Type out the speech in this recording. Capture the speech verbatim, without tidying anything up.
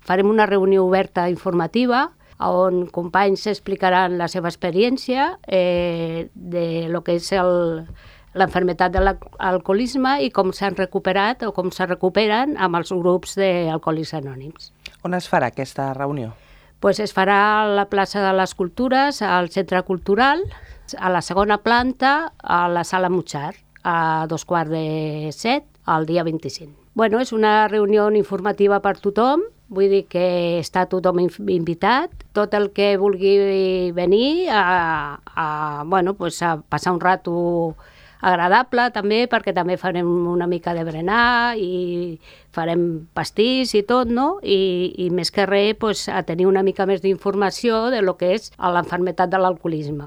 Farem una reunió oberta informativa on companys explicaran la seva experiència eh, de lo que és el, l'enfermetat de l'alcoholisme i com s'han recuperat o com se recuperen amb els grups d'Alcohòlics Anònims. On es farà aquesta reunió? Pues es farà a la plaça de les Cultures, al Centre Cultural, a la segona planta, a la Sala Mutxar, a dos quarts de set, el dia vint-i-cinc. Bueno, és una reunió informativa per tothom, vull dir que està tothom invitat, tot el que vulgui venir a, a, bueno, pues a passar un rato agradable també, perquè també farem una mica de berenar i farem pastís i tot, no? I, i més que res, pues, a tenir una mica més d'informació de lo que és l'enfermetat de l'alcoholisme.